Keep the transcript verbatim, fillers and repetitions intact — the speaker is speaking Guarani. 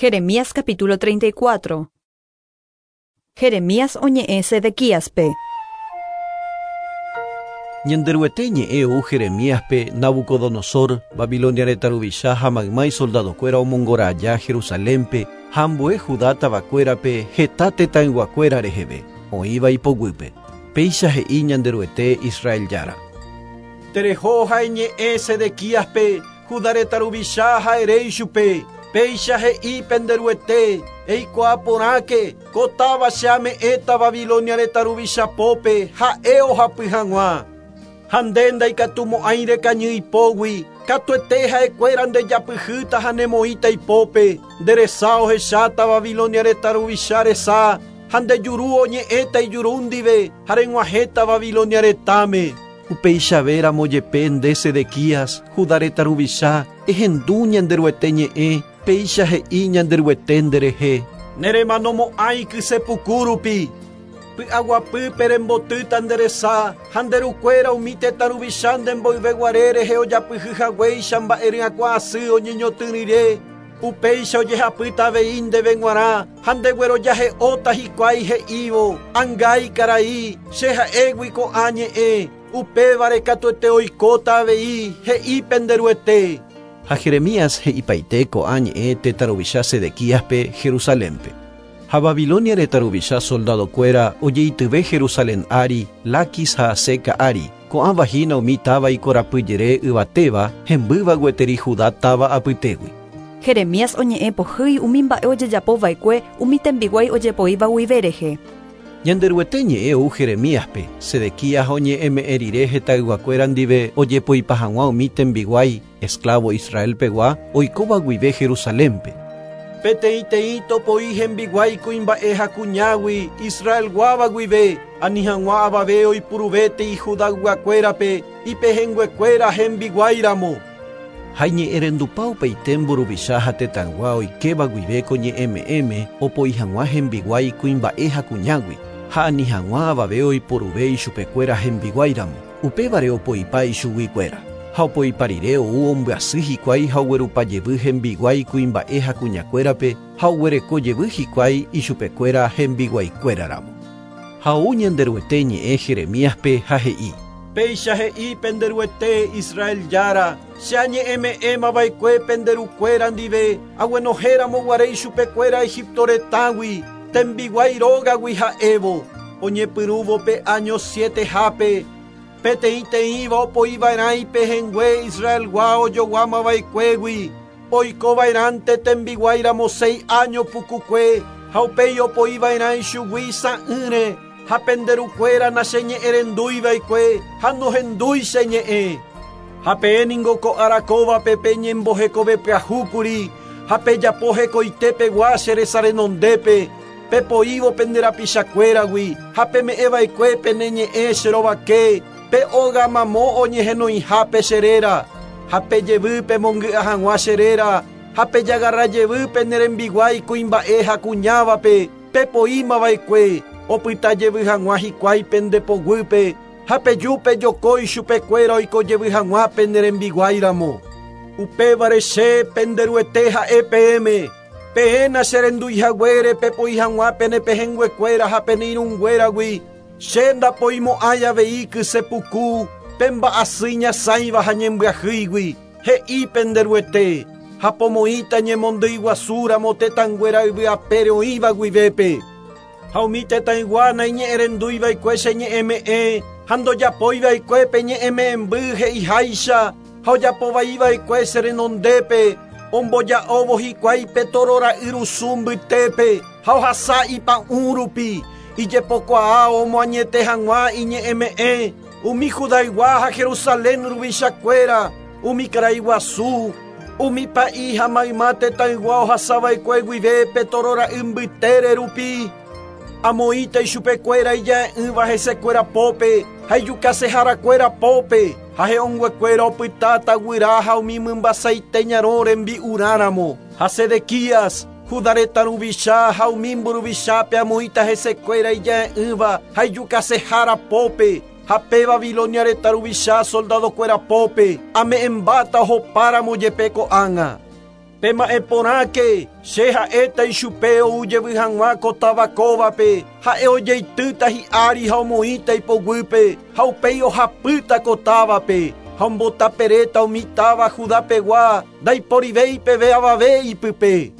Jeremías capítulo treinta y cuatro. Jeremías oñe'ẽ Sedequíaspe. Ñanderuete ñe'ẽ ou Jeremíaspe Nabucodonosor, Babilonia retã ruvicha ha mayma isoldadokuéra omongora aja Jerusalénpe ha ambue Judá tavakuérape heta tetãyguakuéra reheve, oĩva ipoguýpe. Péicha he'i Ñanderuete Israel Jára. Tereho ha eñe'ẽ Sedequíaspe, Judá retã ruvicha ha ere ichupe. Péicha he'i penderuete, eikuaa porãke, ko táva che ame'ẽta Babilonia retã ruvicha pópe, ha'e ohapy hag̃ua. Ha nde ndaikatumo'ãi rekañy ipógui, katuete ha'ekuéra ndejapyhýta ha nemoĩta ipópe, nde resa ohecháta Babilonia retã ruvicha resa, ha nde juru oñe'ẽta ijuru ndive, ha reg̃uahẽta Babilonia retãme. Upeichavéramo jepe nde Sedequías, Judá retã ruvicha, ehendu Ñanderuete ñe'ẽ, péicha he'i Ñanderuete nderehe. Neremanomo'ãi kysepuku rupi. Py'aguapýpe rembotýta nde resa, ha nde rukuéra umi tetã ruvicha nde mboyveguare rehe ojapyhy haguéicha mba'e ryakuã asy oñeñotỹ upéicha ojehapýta avei ndéve g̃uarã, ha ndeguerojahe'óta hikuái he'ívo, angái karai, che ha'égui ko'ã ñe'ẽ, upévare katuete oikóta avei he'i penderuete. Ha Jeremías he'ipaite ko'ã ñe'ẽ tetã ruvicha Sedequíaspe Jerusalénpe. Ha Babilonia retã ruvicha soldadokuéra ojeityve Jerusalén ári, Laquis ha Aseca ári, ko'ãva hína umi táva ikorapyjere yvatéva, hembýva gueteri Judá táva apytégui. Jeremías oñe'ẽ pohýi umi mba'e ojejapova'ekue umi tembiguái ojepoíva guive rehe. Ñanderuete ñe'ẽ ou Jeremíaspe, Sedequías oñe'ẽme'ẽ rire hetãyguakuéra ndive ojepoipa hag̃ua umi tembiguái, esclavo Israelpegua, oikóva guive Jerusalénpe. Peteĩteĩ topoi hembiguái kuimba'e ha kuñágui, Israelguáva guive, ani hag̃ua avave oipuruvétei Judayguakuérape, ipehẽnguekuéra hembiguáiramo. Ha iñe'ẽrendupa upeite mburuvicha ha tetãygua oikéva guive ko ñe'ẽme'ẽme opoi hag̃ua hembiguái kuimba'e ha kuñágui, ha ani hag̃ua avave oiporuve ichupekuéra hembiguáiramo, upévare opoipa ichuguikuéra. Ha opoipa rire ou ombyasy hikuái ha oguerupa jevy hembiguái kuimba'e ha kuñakuérape ha oguereko jevy hikuái ichupekuéra hembiguaikuéraramo. Ha ou Ñanderuete ñe'ẽ Jeremíaspe ha he'i. Péicha he'i penderuete Israel Jára, che añe'ẽme'ẽmava'ekue penderukuéra ndive, aguenohéramo ichupekuéra Egipto retãgui, tembiguái rógagui ha'évo, oñepyrũvo pe año sietehápe, peteĩteĩva opoiva'erã ipehẽngue Israelgua ojoguamava'ekuégui, oikova'erãnte tembiguáiramo seis año pukukue, ha upéi opoiva'erã ichugui sa'ỹre, ha penderukuéra nacheñe'ẽrenduiva'ekue, ha nohendúi che ñe'ẽ. Ha peẽ ningo ko arakóvape peñembohekove pyahúkuri, ha pejapo hekoitepegua che resa renondépe, pepoívo pende rapichakuéragui, ha peme'ẽva'ekue pene ñe'ẽ che rovake, pe óga mamo oñehenoihápe che réra, ha pejevy pemongy'a hag̃ua che réra, ha pejagarra jevy pene rembiguái kuimba'e ha kuñávape, pepoímava'ekue, opyta jevy hag̃ua hikuái pende poguýpe, ha peju pejokói chupekuéra oiko jevy hag̃ua pene rembiguáiramo. Upévare che penderuete ha'e peẽme, peẽ nacherenduihaguére pepoi hag̃ua pene pehẽnguekuéra ha pene irũnguéragui, che ndapoimo'ãi avei kysepuku, pemba'asy ñasãiva ha ñembyahýigui, he'i penderuete, ha pomoĩta ñemondýi guasúramo tetãnguéra yvy apére oĩva guivépe. Ha umi tetãygua naiñe'ẽrenduiva'ekue che ñe'ẽme'ẽ, ha ndojapoiva'ekue pe ñe'ẽme'ẽmby he'iháicha, ha ojapovaiva'ekue che renondépe, omboja'óvo hikuái pe torora'yrusu mbytépe, ha ohasa ipa'ũ rupi, ijepokuaa omoañete hag̃ua iñe'ẽme'ẽ, umi Judaygua ha Jerusalén ruvichakuéra, umi karaiguasu, umi pa'i ha mayma tetãygua ohasava'ekue guive pe torora'y mbytére rupi, amoĩta ichupekuéra ija'e'ỹva hesekuéra pópe, ha ijukaseharakuéra pópe, ha he'õnguekuéra opytáta guyra ha umi mymbasaite ñarõ rembi'urãramo. Ha Sedequías, Judá retã ruvicha ha umi mburuvichape amoĩta hesekuéra ija'e'ỹva ha ijukasehára pópe, ha pe Babilonia retã ruvicha soldadokuéra pópe, ame'ẽmbáta ohopáramo jepe ko'ág̃a. Pema'ẽ porãke, che ha'éta ichupe ou jevy hag̃ua ko táva kóvape, ha'e ojeitýta hi'ári ha omoĩta ipoguýpe, ha upéi ohapýta ko távape, ha ombotaperéta umi táva Judapegua, ndaiporivéi peve avave ipype.